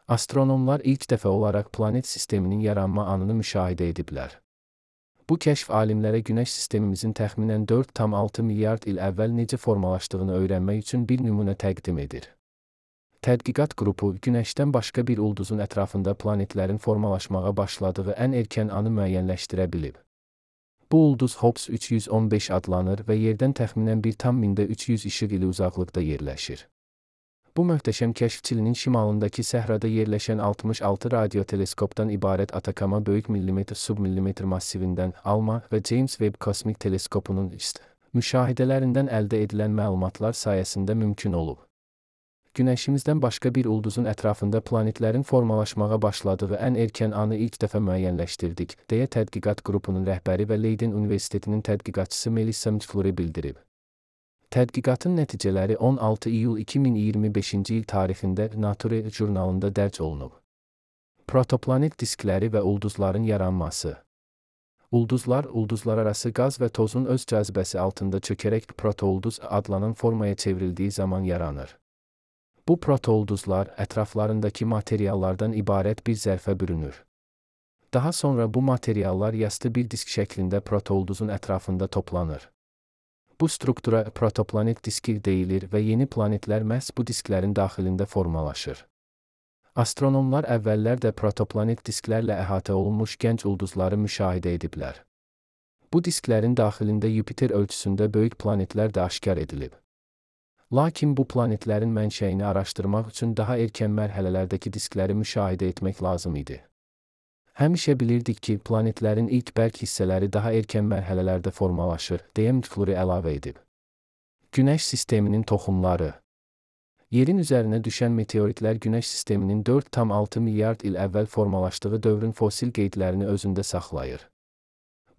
Astronomlar ilk dəfə olaraq planet sisteminin yaranma anını müşahidə ediblər. Bu kəşf alimlərə Günəş sistemimizin təxminən 4,6 milyard il əvvəl necə formalaşdığını öyrənmək üçün bir nümunə təqdim edir. Tədqiqat qrupu, Günəşdən başqa bir ulduzun ətrafında planetlərin formalaşmağa başladığı ən erkən anı müəyyənləşdirə bilib. Bu ulduz Hobbs 315 adlanır və Yerdən təxminən 1,300 işıq ili uzaqlıqda yerləşir. Bu möhtəşəm kəşf Çilinin şimalındakı səhrada yerləşən 66 radioteleskopdan ibarət Atakama böyük millimetr-submillimetr massivindən ALMA və James Webb Kosmik Teleskopunun müşahidələrindən əldə edilən məlumatlar sayəsində mümkün olub. Günəşimizdən başqa bir ulduzun ətrafında planetlərin formalaşmağa başladığı ən erkən anı ilk dəfə müəyyənləşdirdik, deyə tədqiqat qrupunun rəhbəri və Leiden Universitetinin tədqiqatçısı Melissa McFlurry bildirib. Tədqiqatın nəticələri 16 iyul 2025-ci il tarixində Nature jurnalında dərc olunub. Protoplanet diskləri və ulduzların yaranması. Ulduzlar, ulduzlararası qaz və tozun öz cazibəsi altında çökərək protoulduz adlanan formaya çevrildiyi zaman yaranır. Bu protoulduzlar ətraflarındakı materiallardan ibarət bir zərfə bürünür. Daha sonra bu materiallar yastı bir disk şəklində protoulduzun ətrafında toplanır. Bu struktura protoplanet diski deyilir və yeni planetlər məhz bu disklərin daxilində formalaşır. Astronomlar əvvəllər də protoplanet disklərlə əhatə olunmuş gənc ulduzları müşahidə ediblər. Bu disklərin daxilində Yupiter ölçüsündə böyük planetlər də aşkar edilib. Lakin bu planetlərin mənşəyini araşdırmaq üçün daha erkən mərhələlərdəki diskləri müşahidə etmək lazım idi. Həmişə bilirdik ki, planetlərin ilk bərk hissələri daha erkən mərhələlərdə formalaşır, deyə McFlurry əlavə edib. Günəş sisteminin toxumları. Yerin üzərinə düşən meteoritlər Günəş sisteminin 4,6 milyard il əvvəl formalaşdığı dövrün fosil qeydlərini özündə saxlayır.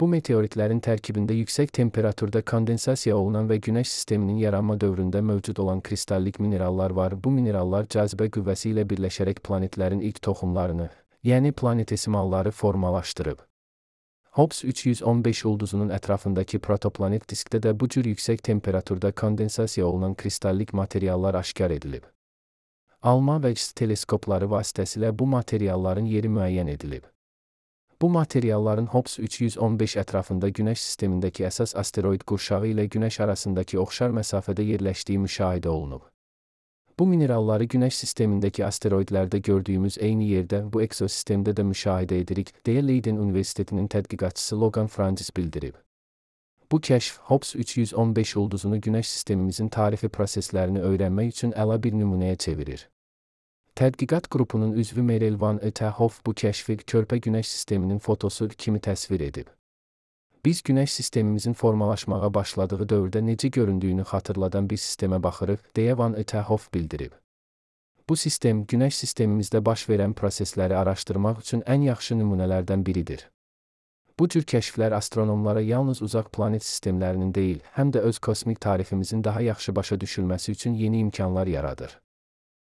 Bu meteoritlərin tərkibində yüksək temperaturda kondensasiya olunan və Günəş sisteminin yaranma dövründə mövcud olan kristallik minerallar var. Bu minerallar cazibə qüvvəsi ilə birləşərək planetlərin ilk toxumlarını, yəni planetesimalları formalaşdırıb. Hobbs 315 ulduzunun ətrafındakı protoplanet diskdə də bu cür yüksək temperaturda kondensasiya olunan kristallik materiallar aşkar edilib. ALMA və XS teleskopları vasitəsilə bu materialların yeri müəyyən edilib. Bu materialların Hobbs 315 ətrafında Günəş sistemindəki əsas asteroid qurşağı ilə Günəş arasındakı oxşar məsafədə yerləşdiyi müşahidə olunub. Bu mineralları Günəş sistemindəki asteroidlərdə gördüyümüz eyni yerdə, bu ekosistemdə də müşahidə edirik, deyə Leiden Universitetinin tədqiqatçısı Logan Francis bildirib. Bu kəşf, Hobbs 315 ulduzunu Günəş sistemimizin tarixi proseslərini öyrənmək üçün əla bir nümunəyə çevirir. Tədqiqat qrupunun üzvü Meryl Van Uterhoff bu kəşfi körpə Günəş sisteminin fotosu kimi təsvir edib. Biz Günəş sistemimizin formalaşmağa başladığı dövrdə necə göründüyünü xatırladan bir sistemə baxırıq, deyə Van Uterhoff bildirib. Bu sistem, Günəş sistemimizdə baş verən prosesləri araşdırmaq üçün ən yaxşı nümunələrdən biridir. Bu cür kəşflər astronomlara yalnız uzaq planet sistemlərinin deyil, həm də öz kosmik tariximizin daha yaxşı başa düşülməsi üçün yeni imkanlar yaradır.